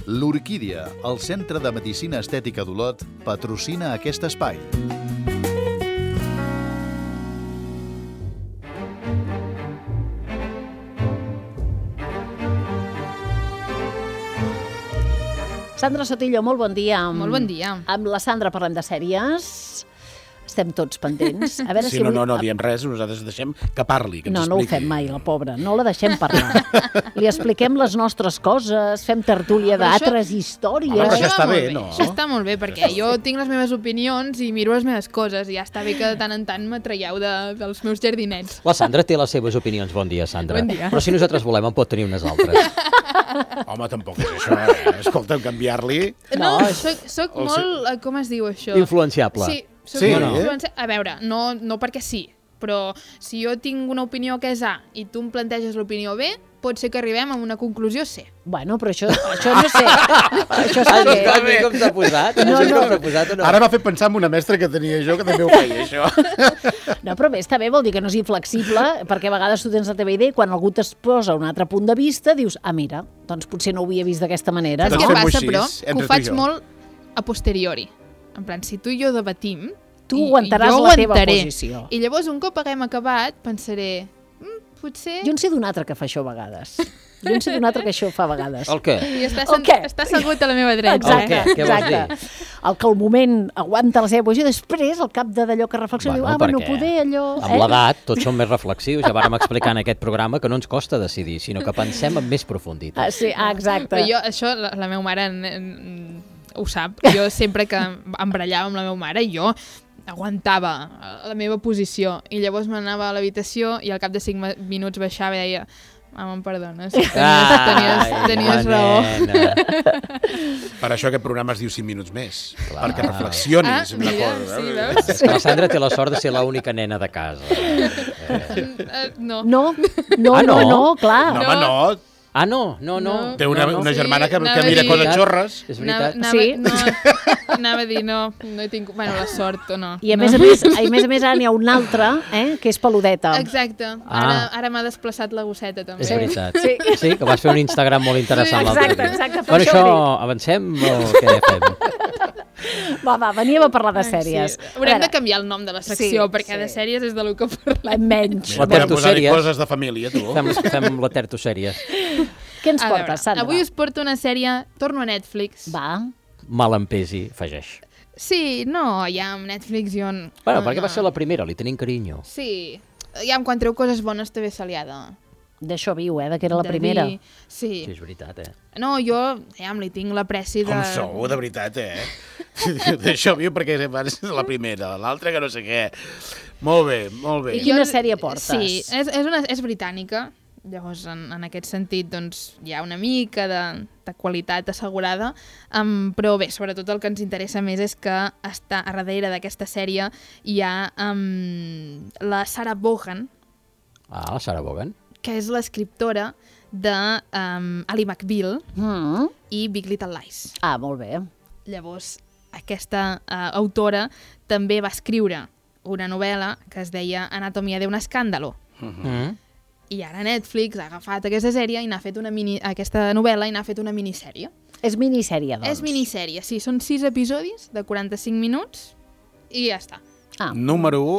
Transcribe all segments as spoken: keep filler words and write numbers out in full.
L'Orquídia, el Centre de Medicina Estètica d'Olot, patrocina aquest espai. Sandra Sotillo, molt bon dia. Molt bon dia. Amb la Sandra parlem de sèries. Estem tots pendents. A veure sí, si no, avui... no, no diem res, nosaltres deixem que parli, que ens no, no ho expliqui. fem mai, la pobra. No la deixem parlar. Li expliquem les nostres coses, fem tertúlia d'altres històries. Home, però això està bé, molt no? Això està molt bé, perquè jo tinc les meves opinions i miro les meves coses, i ja està bé que de tant en tant me traieu de, dels meus jardinets. La Sandra té les seves opinions. Bon dia, Sandra. Bon dia. Però si nosaltres volem, en pot tenir unes altres. Home, tampoc és això, eh? Escolta'm, canviar-li... No, No, soc, soc el molt... eh, Com es diu això? Influenciable. Sí, soc Sí, molt eh? influencia... A veure, no, no perquè sí, però si jo tinc una opinió que és A i tu em planteges l'opinió B, pot ser que arribem a una conclusió C. Bueno, però això, això no sé. Això està bé. Està bé com s'ha posat? No, No, no. no. Com s'ha posat o no? Ara m'ha fet pensar en una mestra que tenia jo, que també ho feia, això. No, però bé, està bé, vol dir que no és inflexible, perquè a vegades tu tens la teva idea i quan algú t'exposa un altre punt de vista, dius, ah, mira, doncs potser no ho havia vist d'aquesta manera. Saps Doncs què fem-ho passa, així, però? entre Que ho tu i faig jo. molt a posteriori. En plan, si tu i jo debatim... Tu i- aguantaràs jo la teva aguantaré. posició. I llavors, un cop haguem acabat, pensaré... Mm, potser... Jo en sé d'un altre que fa això a vegades. Jo en sé d'un altre que això fa a vegades. El què? I està, El què? està assegut a la meva dreta. Exacte, El què? Què vols exacte. El que al moment aguanta la seva posició, després, al cap de d'allò que reflexiona, Bueno, diu, ah, bueno, perquè poder allò... Amb l'edat, tots som més reflexius. Ja vàrem explicar en aquest programa que no ens costa decidir, sinó que pensem amb més profunditat. Ah, sí, ah, exacte. Però jo, això, la, la meva mare en, en, ho sap. Jo sempre que em barallava amb la meva mare, jo aguantava la meva posició i llavors m'anava a l'habitació i al cap de cinc minuts baixava i deia mama, em perdones, tenies, tenies, tenies raó. Per això aquest programa es diu cinc minuts més, Clar. perquè reflexionis Ah, una mira, cosa. sí, eh? veus? És que la Sandra té la sort de ser l'única nena de casa. Eh, no. No, no, Ah, no, no? no, clar. No, home, no. Ah, no, no, no. No. Té una, no, no. una germana que, Sí, que anava mira a dir- coses xorres. És veritat. Anava, Sí. no, anava a dir, no, no he tingut... Bueno, la sort o no. I a no. més a més, a més a més ara n'hi ha un altre, eh, que és peludeta. Exacte. Ah. Ara, ara m'ha desplaçat la gosseta, també. És veritat. Sí. Sí, que vas fer un Instagram molt interessant Sí, l'altre exacte, dia. exacte, per Per això això, ho dic. avancem o què fem? Va, va, veníem a parlar de sèries. Sí. Haurem de canviar el nom de la secció, Sí, perquè sí. de sèries és de lo que parlem. canviar. Menys. La Podem tertosèries. posar-hi coses de família, tu. Fem, fem la tertosèries. Què ens A portes, veure, Sandra? avui us porto una sèrie, torno a Netflix. Va. Mal em pesi, afegeix. Sí, no, ja amb Netflix jo... n- Bueno, no, perquè va no. ser la primera, li tenim carinyo. Sí, ja quan treu coses bones també se li ha de... D'això viu, eh, de que era la de primera. dir. Sí. Sí, és veritat, eh? No, jo ja li tinc l'apreci de... Com sou, de veritat, eh? D'això viu perquè és la primera, l'altra que no sé què. Molt bé, molt bé. I quina sèrie portes? Sí, és, és, una, és britànica. Llavors, en, en aquest sentit, doncs, hi ha una mica de, de qualitat assegurada, um, però bé, sobretot el que ens interessa més és que està a darrere d'aquesta sèrie hi ha um, la Sarah Vaughan, Ah, la Sarah Vaughan. que és l'escriptora de um, Ali McBeal Mm. i Big Little Lies. Ah, molt bé. Llavors, aquesta uh, autora també va escriure una novel·la que es deia Anatomia d'un escàndalo. Mm. I ara Netflix ha agafat aquesta sèrie i n'ha fet una mini, aquesta novel·la i n'ha fet una minissèrie. És minissèrie, doncs. És minissèrie, sí. Són sis episodis de quaranta-cinc minuts i ja està. Ah, Número u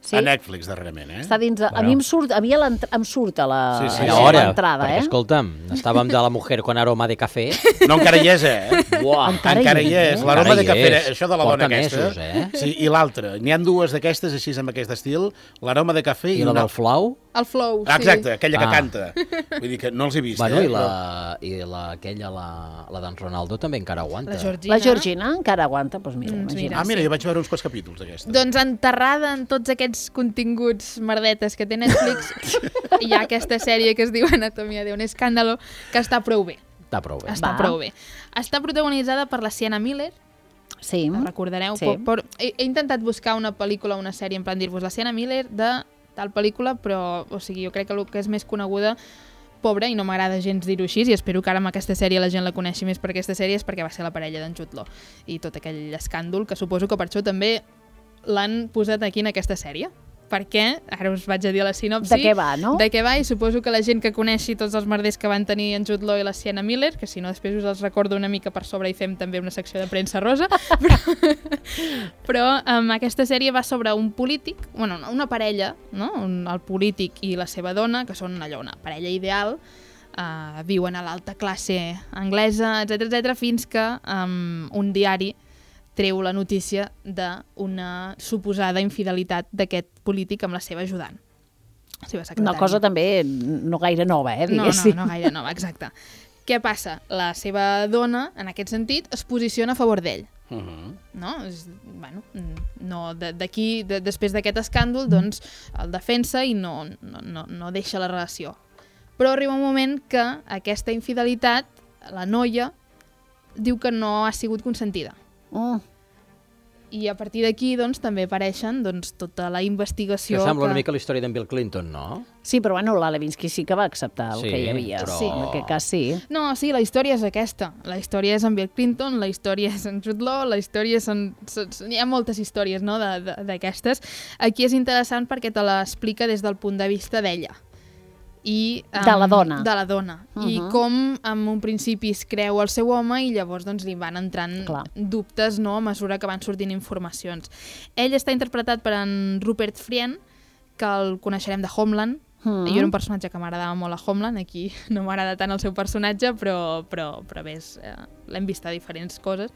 sí. a Netflix, darrerament, eh? Està dins de... A Bueno. mi em surt, a mi a l'entra- em surt a la Sí, sí. a Era hora, l'entrada, perquè, eh? escolta'm, estàvem de la mujer con aroma de café. No, encara hi és, eh? Buah, Encara Encara hi és. L'aroma Encara de hi cafè, és. això de la Porta dona aquesta. mesos, eh? Sí, i l'altra. N'hi ha dues d'aquestes, així, amb aquest estil. L'aroma de cafè i, I la una... del flau? El flow, sí. Ah, exacte, aquella que Ah. canta. Vull dir que no els he vist, Bueno, eh? i la, i la, aquella, la, la d'en Ronaldo també encara aguanta. La Georgina. La Georgina encara aguanta, doncs mira, Mm, imagina. mira. Ah, mira, jo vaig veure uns quants capítols d'aquesta. Doncs enterrada en tots aquests continguts merdetes que té Netflix, hi ha aquesta sèrie que es diu Anatomia d'un escàndalo, que està prou bé. Està prou bé. Està Va. prou bé. Està protagonitzada per la Sienna Miller, Sí. la recordareu. Sí. Por, por, he, he intentat buscar una pel·lícula o una sèrie en plan dir-vos la Sienna Miller de tal pel·lícula, però o sigui, jo crec que el que és més coneguda, pobra, i no m'agrada gens dir-ho així, i espero que ara amb aquesta sèrie la gent la coneixi més per aquesta sèrie, és perquè va ser la parella d'en Jude Law i tot aquell escàndol, que suposo que per això també l'han posat aquí en aquesta sèrie. perquè, ara us vaig a dir la sinopsi. De què va, no? De què va, i suposo que la gent que coneixi tots els merders que van tenir en Jude Law i la Sienna Miller, que si no després us els recordo una mica per sobre i fem també una secció de premsa rosa, però, però um, aquesta sèrie va sobre un polític, bueno, una parella, no? un, el polític i la seva dona, que són allò, una parella ideal, uh, viuen a l'alta classe anglesa, etcètera etcètera, fins que um, un diari treu la notícia d'una suposada infidelitat d'aquest polític amb la seva ajudant, la seva secretària. Una cosa també no gaire nova, eh, diguéssim. No, no, no gaire nova, exacte. Què passa? La seva dona, en aquest sentit, es posiciona a favor d'ell. Uh -huh. No? És, bueno, no, d'aquí, de, després d'aquest escàndol, doncs, el defensa i no, no, no, no deixa la relació. Però arriba un moment que aquesta infidelitat, la noia, diu que no ha sigut consentida. Mm. I a partir d'aquí, doncs, també apareixen doncs, tota la investigació... Que sembla que... una mica la història d'en Bill Clinton, no? Sí, però bueno, la Levinsky sí que va acceptar el Sí, que hi havia. però- Sí, en aquest cas sí. No, sí, la història és aquesta. La història és en Bill Clinton, la història és en Jude Law, la història és en... Hi ha moltes històries, no?, d'aquestes. Aquí és interessant perquè te l'explica des del punt de vista d'ella. I, um, De la dona. De la dona. Uh -huh. I com en un principi es creu el seu home i llavors doncs, li van entrant Clar. dubtes, no?, a mesura que van sortint informacions. Ell està interpretat per en Rupert Friend, que el coneixerem de Homeland. Mm. Jo era un personatge que m'agradava molt a Homeland, aquí no m'agrada tant el seu personatge, però, però, però bé, eh, l'hem vist a diferents coses.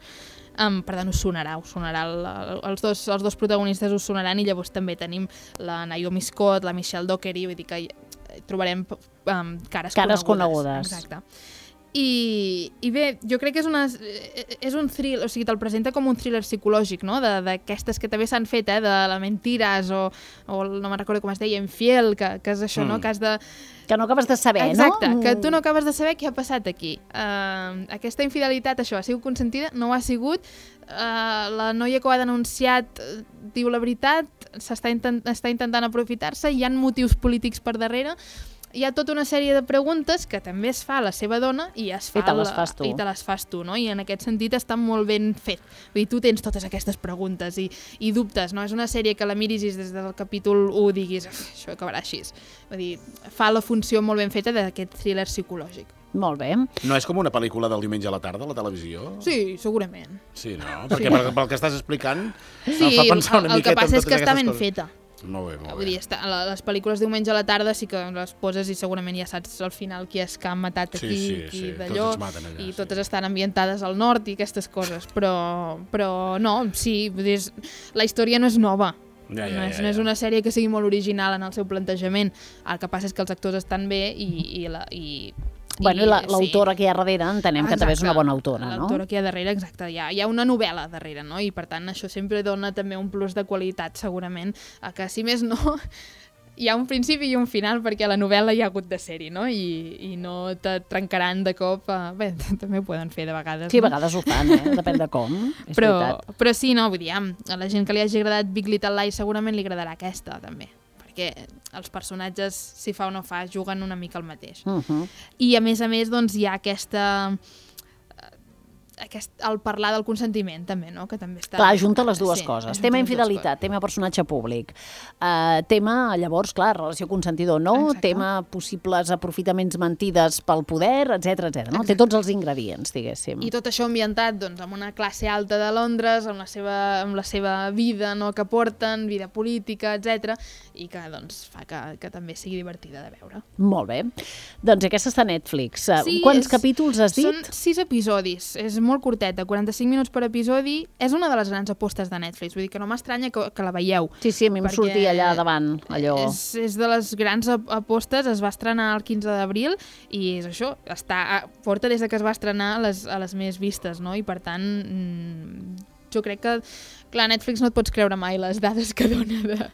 Um, per tant, us sonarà, us sonarà el, el, els, dos, els dos protagonistes us sonaran, i llavors també tenim la Naomi Scott, la Michelle Dockery, vull dir que trobarem um, cares, Cares conegudes. conegudes. Exacte. I, I bé, jo crec que és, una, és un thriller, o sigui, te'l presenta com un thriller psicològic, no?, d'aquestes que també s'han fet, eh, de la Mentiras, o, o no me'n recordo com es deia, Infiel, que, que és això, mm. no?, que has de... Que no acabes de saber, Exacte, no? que tu no acabes de saber què ha passat aquí. Uh, aquesta infidelitat, això, ha sigut consentida? No ho ha sigut? Uh, la noia que ho ha denunciat uh, diu la veritat? S'està intent està intentant aprofitar-se? Hi ha motius polítics per darrere? Hi ha tota una sèrie de preguntes que també es fa a la seva dona i es fa I te les la, fas tu. I te les fas tu, no? I en aquest sentit està molt ben fet. Vull dir, tu tens totes aquestes preguntes i, i dubtes, no? És una sèrie que la miris i des del capítol u diguis això acabarà així. Vull dir, fa la funció molt ben feta d'aquest thriller psicològic. Molt bé. No és com una pel·lícula del diumenge a la tarda a la televisió? Sí, segurament. Sí, no? Perquè pel, pel que estàs explicant Sí, em fa pensar una el, el que miqueta en passa és totes que està aquestes ben coses. feta. Molt bé, molt Vull dir, bé. està, les pel·lícules diumenge a la tarda sí que les poses i segurament ja saps al final qui és que han matat aquí, Sí, sí, qui sí, d'allò, tots es maten allà, i sí. totes estan ambientades al nord i aquestes coses, però, però no, sí, vull dir, la història no és nova. Ja, ja, no, és, ja, no és ja. una sèrie que sigui molt original en el seu plantejament. El que passa és que els actors estan bé i, i, la, i Bueno, i la- sí. l'autora que hi ha darrere entenem que també és una bona autora, no? L'autora que hi ha darrere, exacte. Hi ha, hi ha una novel·la darrere, no? I per tant això sempre dona també un plus de qualitat, segurament, a que si més no hi ha un principi i un final, perquè a la novel·la hi ha hagut de ser-hi, no? I, i no te trencaran de cop. Uh, bé, també ho poden fer de vegades. Sí, a no? vegades ho fan, eh? Depèn de com. És Però, veritat. però sí, no, vull dir, a la gent que li hagi agradat Big Little Lies segurament li agradarà aquesta, també. Perquè els personatges, si fa o no fa, juguen una mica el mateix. Uh -huh. I a més a més, doncs, hi ha aquesta... Aquest, el parlar del consentiment també, no? Que també està... Clar, junta les dues Sí, coses. junta Tema les dues infidelitat, tema personatge públic. Uh, tema, llavors, clar, relació consentidor no, Exacte. tema possibles aprofitaments mentides pel poder, etc etc. No? Té tots els ingredients, diguéssim. I tot això ambientat doncs, amb una classe alta de Londres, amb la seva, amb la seva vida, no, que porten, vida política, etcètera, i que doncs, fa que, que també sigui divertida de veure. Molt bé. Doncs aquesta està a Netflix. Uh, Sí, Quants és- capítols has dit? Són sis episodis, és molt curteta, quaranta-cinc minuts per episodi. És una de les grans apostes de Netflix, vull dir que no m'estranya que, que la veieu. Sí, sí, a mi em perquè sortia allà davant, allò... És, és de les grans ap- apostes, es va estrenar el quinze d'abril i és això, està, porta des de que es va estrenar a les, a les més vistes, no? I per tant, mmm, jo crec que, clar, Netflix no et pots creure mai les dades que dona de-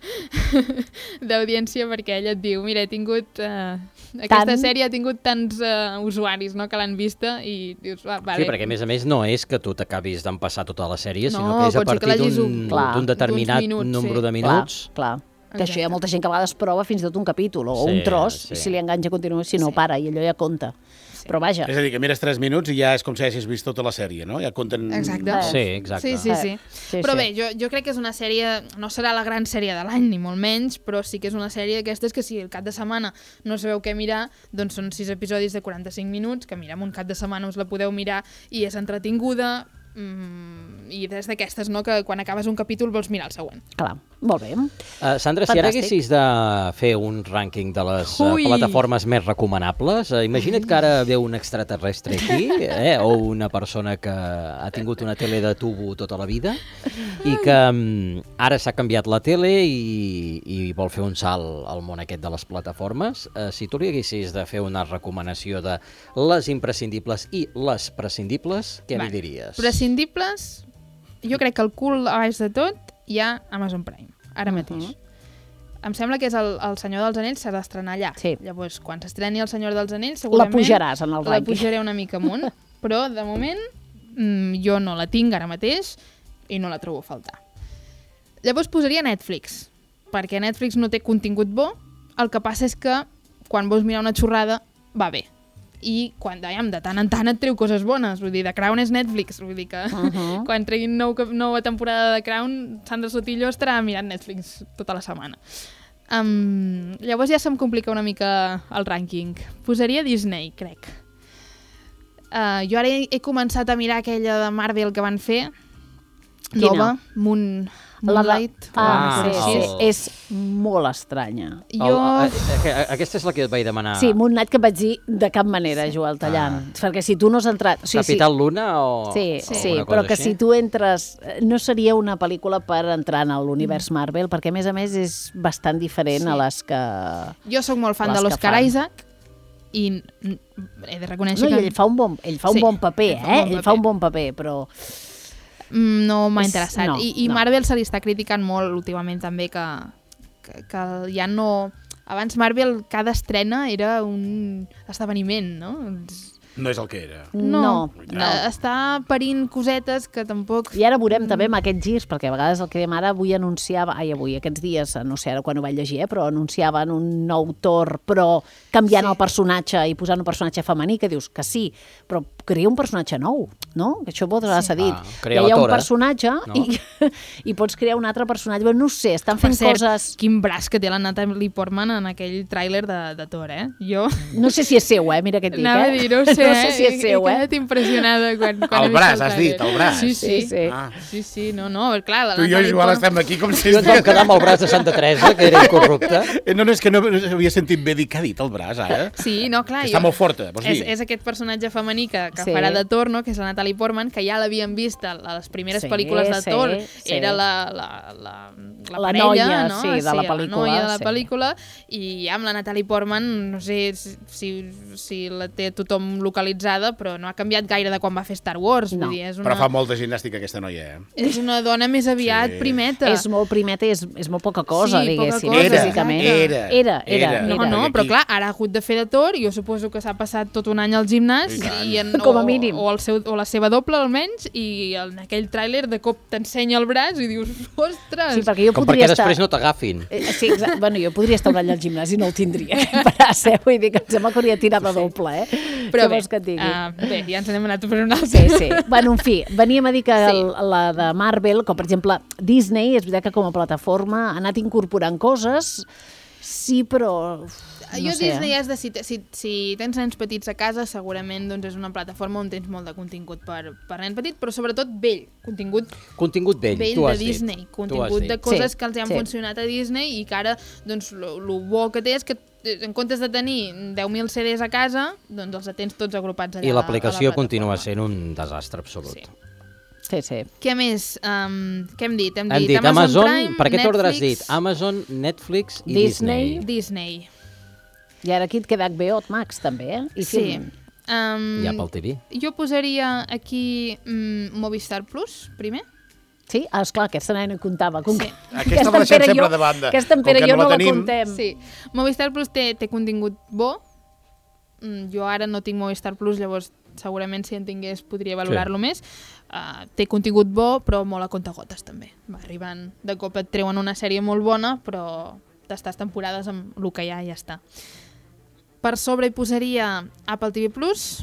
d'audiència, perquè ella et diu, mira, he tingut... Eh, aquesta Tant. sèrie ha tingut tants eh, usuaris, no?, que l'han vista i dius, va, vale. Sí, perquè a més a més no és que tu t'acabis d'empassar tota la sèrie, sinó No, que és a pot ser que partir l'hagis d'un un- Clar, d'un determinat d'uns minuts, nombre sí. de minuts. Clar, clar. Que això hi ha Exacte. molta gent que a vegades prova fins i tot un capítol o Sí, un tros, sí. i si li enganxa continua, si no Sí. para, i allò ja compta. sí. Però vaja. És a dir, que mires tres minuts i ja és com si haguessis vist tota la sèrie, no? Ja compten... Exacte. Sí, exacte. Sí, sí, sí. Sí, Però sí. bé, jo, jo crec que és una sèrie, no serà la gran sèrie de l'any, ni molt menys, però sí que és una sèrie d'aquestes que si el cap de setmana no sabeu què mirar, doncs són sis episodis de quaranta-cinc minuts, que mira, en un cap de setmana us la podeu mirar i és entretinguda, mm, i des d'aquestes, no?, que quan acabes un capítol vols mirar el següent. Clar, molt bé. Uh, Sandra, si ara Fantàstic. haguessis de fer un rànquing de les uh, Ui. plataformes més recomanables, uh, imagina't que ara ve un extraterrestre aquí, eh, o una persona que ha tingut una tele de tubo tota la vida i que um, ara s'ha canviat la tele i, i vol fer un salt al món aquest de les plataformes. Uh, si tu li haguessis de fer una recomanació de les imprescindibles i les prescindibles, què Vale. li diries? Prescindibles, jo crec que el cul a baix de tot hi ha Amazon Prime, ara mateix. Em sembla que és el, el Senyor dels Anells, s'ha d'estrenar allà. Sí. Llavors, quan s'estreni el Senyor dels Anells, La segurament... pujaràs en el La rànquing. pujaré una mica amunt, però de moment mm, jo no la tinc ara mateix i no la trobo a faltar. Llavors posaria Netflix, perquè Netflix no té contingut bo, el que passa és que quan vols mirar una xorrada va bé. I quan, dèiem, de tant en tant et treu coses bones, vull dir, The Crown és Netflix, vull dir que uh -huh. quan treguin nou, nova temporada de Crown, Sandra Sotillo estarà mirant Netflix tota la setmana. Um, llavors ja se'm complica una mica el rànquing. Posaria Disney, crec. Uh, jo ara he, he començat a mirar aquella de Marvel que van fer, Quina? nova, Moon, La de- Moonlight. Ah, Ah, sí, sí, el- és molt estranya. Jo... El, eh, eh, aquesta és la que et vaig demanar. Sí, Moonlight, que et vaig dir de cap manera, Joel Tallant. Perquè si tu no has entrat... Sí, Capital Luna o Sí, o sí, alguna cosa però que així? si tu entres... No seria una pel·lícula per entrar en l'univers Marvel, perquè a més a més és bastant diferent Sí. a les que... Jo sóc molt fan Les de que l'Oscar fan. Isaac i mm, he de reconèixer No, i que ell fa un bon, ell fa un Sí, bon paper, ell fa un eh? bon Ell fa un paper. bon paper, però... mm, no m'ha És- interessat. no, I, i no. Marvel se li està criticant molt últimament també que, que, que ja no... Abans Marvel cada estrena era un esdeveniment, no? No és el que era. No, eh, no. Està parint cosetes que tampoc... I ara veurem també amb aquests girs, perquè a vegades el que dèiem ara avui anunciava, ai avui, aquests dies, no sé ara quan ho vaig llegir, eh, però anunciaven un nou Thor, però canviant Sí. el personatge i posant un personatge femení, que dius que sí, però crea un personatge nou, no? Que això vos s'ha dit. Ah, crea ja hi la ha un Tora, personatge no? i, i pots crear un altre personatge, però no ho sé, estan Per fent cert, coses... quin braç que té la Natalie Portman en aquell tràiler de, de Thor, eh? Jo... No sé si és seu, eh? Mira què et dic, Anava eh? a dir, no ho sé, no sé si eh? és seu, he, he eh? quedat impressionada quan, quan El he vist braç, el has dit, tràiler. el braç. Sí, sí. Sí, sí. Ah. Sí, sí, no, no, clar, la Tu i jo, Natalie Joel, Portman- estem aquí com si... Jo ens vam quedar amb el braç de Santa Teresa, que era incorrupte. Eh, No, no, és que no havia sentit bé dir què ha dit el braç, ara. Sí, no, clar. Que està jo- molt forta, vols és, dir? és aquest personatge femení que, que Sí. farà de Thor, no? Que és la Natalie Portman, que ja l'havíem vist a les primeres Sí, pel·lícules de sí, Thor. sí. Era la, la, la, la, La parella, noia, no? sí, de la la pel·lícula, noia de la sí. pel·lícula. I ja amb la Natalie Portman, no sé si, si, si la té tothom localitzada, però no ha canviat gaire de quan va fer Star Wars. No. Vull dir, és una, Però fa molta gimnàstica aquesta noia, eh? és una dona més aviat Sí. primeta. És molt primeta i és, és molt poca cosa, Sí, poca diguéssim, cosa, Era, físicament. era, era, era, era. No, era. no, Perquè però aquí- clar, ara ha hagut de fer de Thor, jo suposo que s'ha passat tot un any al gimnàs, I tant. i en, Com a o, mínim. o, el seu, o la seva doble almenys, i en aquell tràiler de cop t'ensenya el braç i dius, ostres! Sí, perquè jo Com podria perquè estar... després no t'agafin. Eh, Sí, exacte. Bueno, jo podria estar un any al gimnàs i no el tindria, aquest braç, eh? Vull dir que em sembla que hauria tirat de doble, eh? Però Què bé, vols que et digui? uh, bé, ja ens n'hem anat per un altre. Sí, sí. Bueno, en fi, veníem a dir que Sí. el, la de Marvel, com per exemple Disney, és veritat que com a plataforma ha anat incorporant coses, sí, però... No jo sé, Disney eh? és de, si, si, si tens nens petits a casa, segurament doncs, és una plataforma on tens molt de contingut per, per nen petit, però sobretot vell, contingut Contingut vell, vell tu de has dit. Disney, Tu has contingut dit. de coses Sí, que els hi han sí. funcionat a Disney i que ara, doncs, el bo que té és que eh, en comptes de tenir deu mil C Ds a casa, doncs els tens tots agrupats allà. I a la- l'aplicació a la continua plataforma. sent un desastre absolut. Sí. Sí, sí. Què més? Um, què hem dit? Hem, Hem dit Amazon, Amazon, Prime, per aquest ordre has Netflix, dit Amazon, Netflix i Disney. Disney. Disney. I ara aquí et queda H B O Max, també, eh? I Sí. Film. Um, I Apple T V. Jo posaria aquí mm, Movistar Plus, primer. Sí? Ah, esclar, aquesta nena comptava. Com Sí. que- Aquesta en la deixem Pere i sempre jo- de banda. Aquesta en Com Pere que i jo no no la la tenim. contem. Sí. Movistar Plus té, té contingut bo. Mm, jo ara no tinc Movistar Plus, llavors segurament si en tingués podria valorar-lo Sí. més. Uh, té contingut bo, però molt a comptagotes també. Va arribant, de cop et treuen una sèrie molt bona, però t'estàs temporades amb el que hi ha i ja està. Per sobre hi posaria Apple T V Plus,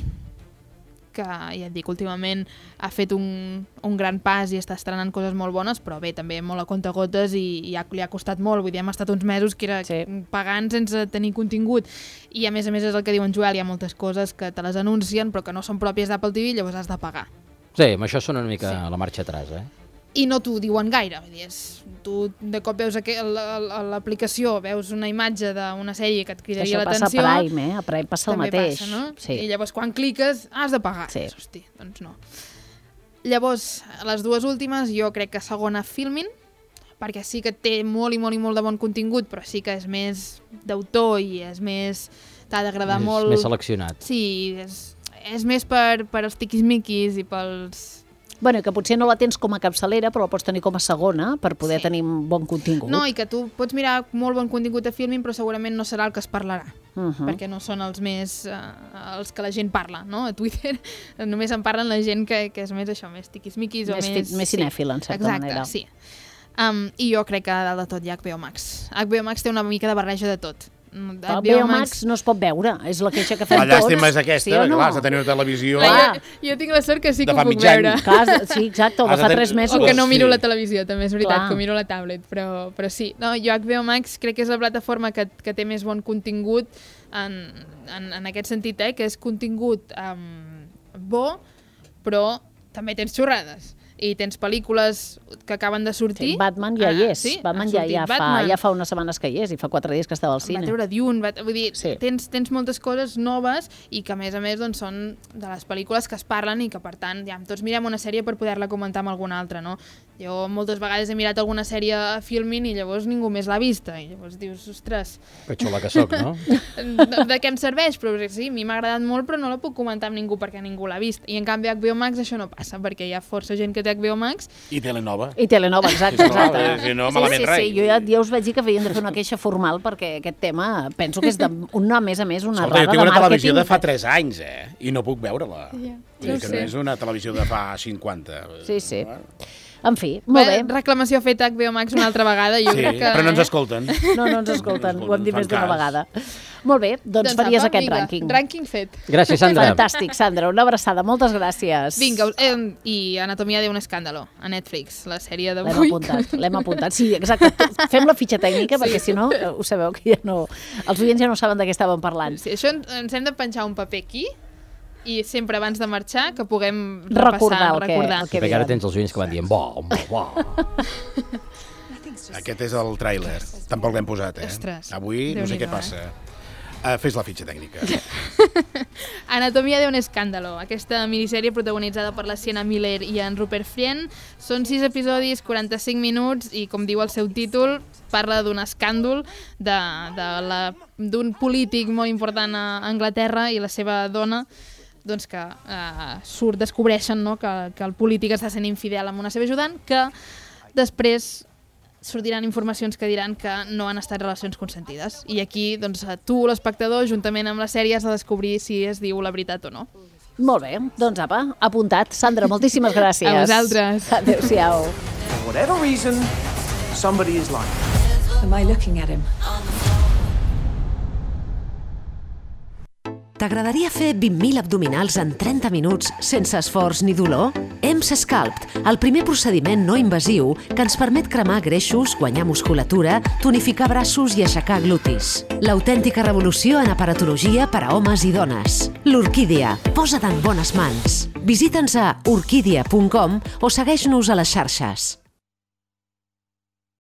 que ja et dic, últimament ha fet un, un gran pas i està estrenant coses molt bones, però bé, també molt a comptagotes i, i ha, li ha costat molt. Vull dir, hem estat uns mesos que era sí. pagant sense tenir contingut. I a més a més és el que diu en Joel, hi ha moltes coses que te les anuncien però que no són pròpies d'Apple T V, llavors has de pagar. Sí, amb això són una mica sí. la marxa atrás, eh? I no t'ho diuen gaire, vull dir, és, tu de cop veus a l'aplicació, veus una imatge d'una sèrie que et cridaria l'atenció. Això passa a Prime, eh? A Prime passa el mateix. Passa, no? Sí. I llavors quan cliques has de pagar. Sí. Hosti, doncs no. Llavors, les dues últimes, jo crec que segona Filmin, perquè sí que té molt i molt i molt de bon contingut, però sí que és més d'autor i és més... t'ha d'agradar molt... Més seleccionat. Sí, és, és més per, per als tiquismiquis i pels... Bueno, que potser no la tens com a capçalera, però la pots tenir com a segona per poder sí. tenir bon contingut. No, i que tu pots mirar molt bon contingut a Filmin, però segurament no serà el que es parlarà, uh -huh. perquè no són els més... Uh, els que la gent parla, no? A Twitter només en parlen la gent que, que és més això, més tiquismiquis o més... Més, més cinèfila, en certa Exacte, manera. Exacte, sí. Um, I jo crec que a dalt de tot hi ha H B O Max. H B O Max té una mica de barreja de tot. El B O Max no es pot veure, és la queixa que fem tots. La llàstima és aquesta, sí no? clar, has de tenir una televisió... Clar, jo, jo tinc la sort que sí que ho puc veure. Clar, sí, exacte, o de fa tres mesos. O que no miro sí. la televisió, també és veritat, clar. que miro la tablet, però, però sí. No, jo H B O Max crec que és la plataforma que, que té més bon contingut en, en, en aquest sentit, eh, que és contingut um, bo, però també tens xorrades. I tens pel·lícules que acaben de sortir. Sí, Batman ja hi és. Ah, sí? Batman ja, ja, fa, ja fa unes setmanes que hi és i fa quatre dies que estava al cine. Va treure Dune, va, vull dir, sí. tens, tens moltes coses noves i que a més a més doncs, són de les pel·lícules que es parlen i que per tant ja tots mirem una sèrie per poder-la comentar amb alguna altra, no? Jo moltes vegades he mirat alguna sèrie a Filmin i llavors ningú més l'ha vista i llavors dius, ostres... Que xula que soc, no? de, de què em serveix? Però sí, a mi m'ha agradat molt però no la puc comentar amb ningú perquè ningú l'ha vist. I en canvi a H B O Max això no passa perquè hi ha força gent que té H B O Max. I Telenova. I Telenova, exacte. exacte. Si no, sí, malament sí, res. sí, jo ja, ja us vaig dir que havien de fer una queixa formal perquè aquest tema penso que és de, una, a més a més una Escolta, errada de màrqueting. jo tinc una televisió de fa tres anys, eh? I no puc veure-la. Ja, Vull dir que no és una televisió de fa cinquanta. Sí, sí. En fi, molt bé. bé. Reclamació feta a H B O Max una altra vegada. Jo sí, crec que, però no ens escolten. No, no ens escolten, ho hem dit més d'una vegada. Molt bé, doncs, doncs faries apa, aquest vinga, rànquing. Rànquing fet. Gràcies, Sandra. Fantàstic, Sandra, una abraçada, moltes gràcies. Vinga, eh, i Anatomia de un escàndalo, a Netflix, la sèrie L'hem d'avui. apuntat, l'hem apuntat. Sí, exacte. Fem la fitxa tècnica, perquè si no, ho sabeu que ja no... Els oients ja no saben de què estàvem parlant. Sí, això ens hem de penjar un paper aquí i sempre abans de marxar que puguem recordar repassar, el que, recordar. el que Perquè ara tens els oients que van dient bo, bo, bo. Aquest és el tràiler. Tampoc l'hem posat, eh? Ostres, avui no sé Déu-n'hi-do, què passa. Uh, fes la fitxa tècnica. Anatomia de un escàndalo. Aquesta minissèrie protagonitzada per la Sienna Miller i en Rupert Friend. Són sis episodis, quaranta-cinc minuts i, com diu el seu títol, parla d'un escàndol d'un polític molt important a Anglaterra i la seva dona doncs que eh, surt, descobreixen no, que, que el polític està sent infidel amb una seva ajudant, que després sortiran informacions que diran que no han estat relacions consentides. I aquí, doncs, tu, l'espectador, juntament amb la sèrie, has de descobrir si es diu la veritat o no. Molt bé, doncs apa, apuntat. Sandra, moltíssimes gràcies. A vosaltres. Adéu-siau. For whatever reason, somebody is lying. Am I looking at him? T'agradaria fer vint mil abdominals en trenta minuts sense esforç ni dolor? E M S Sculpt, el primer procediment no invasiu que ens permet cremar greixos, guanyar musculatura, tonificar braços i aixecar glutis. L'autèntica revolució en aparatologia per a homes i dones. L'Orquídea, posa't en bones mans. Visita'ns a orquídea punt com o segueix-nos a les xarxes.